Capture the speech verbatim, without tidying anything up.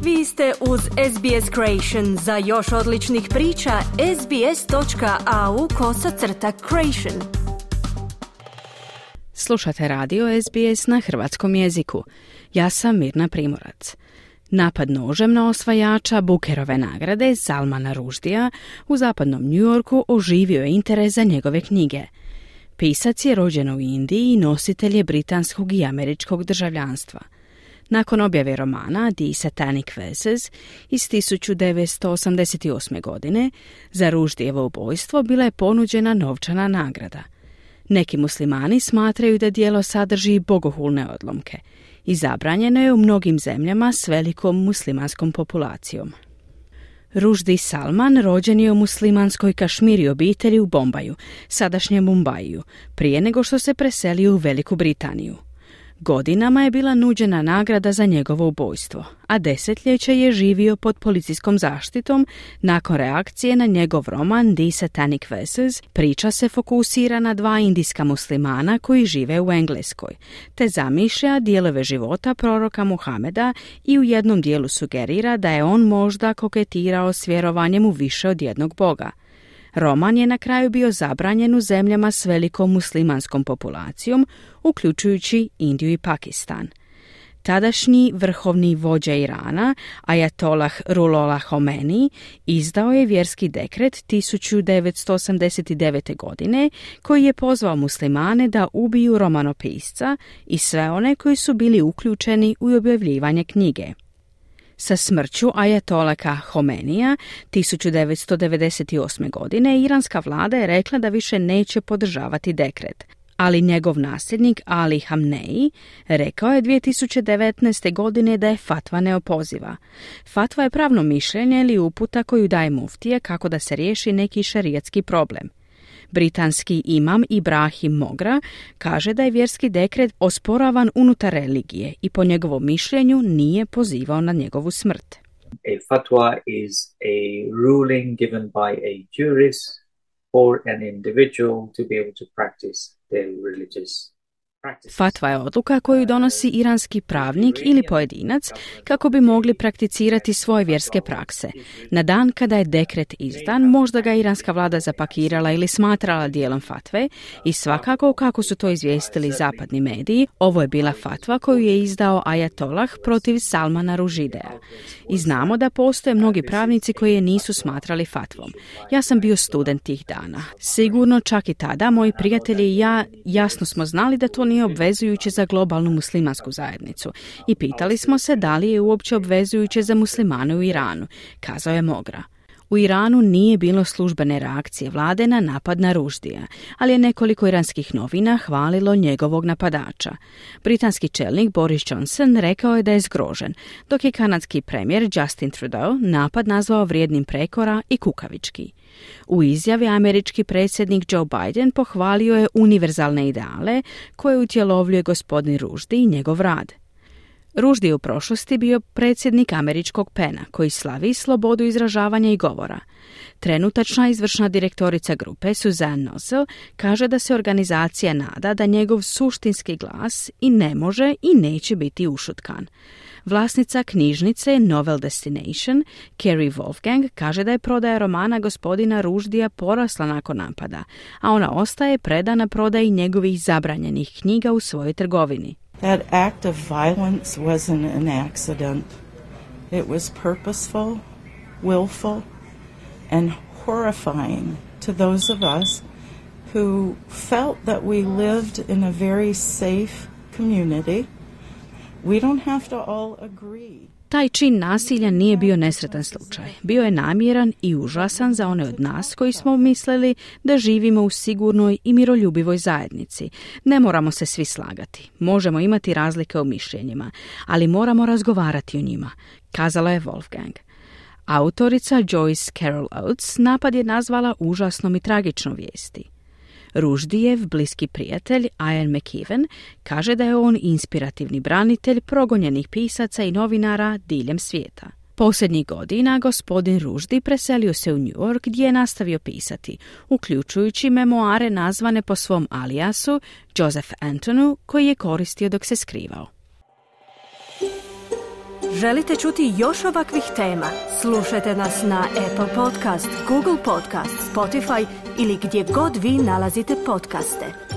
Vi ste uz S B S Creation. Za još odličnih priča, sbs.au kosacrta creation. Slušate radio S B S na hrvatskom jeziku. Ja sam Mirna Primorac. Napad nožem na osvajača Bookerove nagrade Salmana Rushdija u zapadnom New Yorku oživio je interes za njegove knjige. Pisac je rođen u Indiji i nositelj je britanskog i američkog državljanstva. Nakon objave romana The Satanic Verses iz tisuću devetsto osamdeset osme. godine, za Rushdijevo ubojstvo bila je ponuđena novčana nagrada. Neki muslimani smatraju da djelo sadrži bogohulne odlomke i zabranjeno je u mnogim zemljama s velikom muslimanskom populacijom. Rushdie Salman rođen je u muslimanskoj Kašmiri obitelji u Bombaju, sadašnjem Mumbaiju, prije nego što se preselio u Veliku Britaniju. Godinama je bila nuđena nagrada za njegovo ubojstvo, a desetljeće je živio pod policijskom zaštitom. Nakon reakcije na njegov roman The Satanic Verses, priča se fokusira na dva indijska muslimana koji žive u Engleskoj, te zamišlja dijelove života proroka Muhameda i u jednom dijelu sugerira da je on možda koketirao s vjerovanjem u više od jednog boga. Roman je na kraju bio zabranjen u zemljama s velikom muslimanskom populacijom, uključujući Indiju i Pakistan. Tadašnji vrhovni vođa Irana, Ajatolah Ruhollah Khomeini, izdao je vjerski dekret tisuću devetsto osamdeset devete. godine koji je pozvao muslimane da ubiju romanopisca i sve one koji su bili uključeni u objavljivanje knjige. Sa smrću Ajatolaka Khomeinija tisuću devetsto devedeset osme. godine iranska vlada je rekla da više neće podržavati dekret, ali njegov nasljednik Ali Khamenei rekao je dvije tisuće devetnaeste. godine da je fatva neopoziva. Fatva je pravno mišljenje ili uputa koju daje muftije kako da se riješi neki šerijatski problem. Britanski imam Ibrahim Mogra kaže da je vjerski dekret osporavan unutar religije i po njegovom mišljenju nije pozivao na njegovu smrt. A fatwa is a ruling given by a jurist or an individual to be able to practice their religious. Fatva je odluka koju donosi iranski pravnik ili pojedinac kako bi mogli prakticirati svoje vjerske prakse. Na dan kada je dekret izdan, možda ga iranska vlada zapakirala ili smatrala dijelom fatve i svakako, kako su to izvijestili zapadni mediji, ovo je bila fatva koju je izdao Ajatolah protiv Salmana Rushdija. I znamo da postoje mnogi pravnici koji je nisu smatrali fatvom. Ja sam bio student tih dana. Sigurno čak i tada moji prijatelji i ja jasno smo znali da to nije obvezujuće za globalnu muslimansku zajednicu i pitali smo se da li je uopće obvezujuće za muslimane u Iranu, kazao je Mogra. U Iranu nije bilo službene reakcije vlade na napad na Rushdija, ali je nekoliko iranskih novina hvalilo njegovog napadača. Britanski čelnik Boris Johnson rekao je da je zgrožen, dok je kanadski premijer Justin Trudeau napad nazvao vrijednim prekora i kukavički. U izjavi američki predsjednik Joe Biden pohvalio je univerzalne ideale koje utjelovljuje gospodin Rushdie i njegov rad. Rushdie je u prošlosti bio predsjednik američkog pena koji slavi slobodu izražavanja i govora. Trenutačna izvršna direktorica grupe Suzanne Nossel kaže da se organizacija nada da njegov suštinski glas i ne može i neće biti ušutkan. Vlasnica knjižnice Novel Destination, Kerry Wolfgang, kaže da je prodaja romana gospodina Rushdija porasla nakon napada, a ona ostaje predana prodaji njegovih zabranjenih knjiga u svojoj trgovini. That act of violence wasn't an accident. It was purposeful, willful, and horrifying to those of us who felt that we lived in a very safe community. We don't have to all agree. Taj čin nasilja nije bio nesretan slučaj. Bio je namjeran i užasan za one od nas koji smo mislili da živimo u sigurnoj i miroljubivoj zajednici. Ne moramo se svi slagati. Možemo imati razlike u mišljenjima, ali moramo razgovarati o njima, kazala je Wolfgang. Autorica Joyce Carol Oates napad je nazvala užasnom i tragičnom vijesti. Rushdijev bliski prijatelj Ian McKeven kaže da je on inspirativni branitelj progonjenih pisaca i novinara diljem svijeta. Posljednjih godina gospodin Rushdie preselio se u New York gdje je nastavio pisati, uključujući memoare nazvane po svom alijasu Joseph Antonu koji je koristio dok se skrivao. Želite čuti još ovakvih tema? Slušajte nas na Apple Podcast, Google Podcast, Spotify ili gdje god vi nalazite podcaste.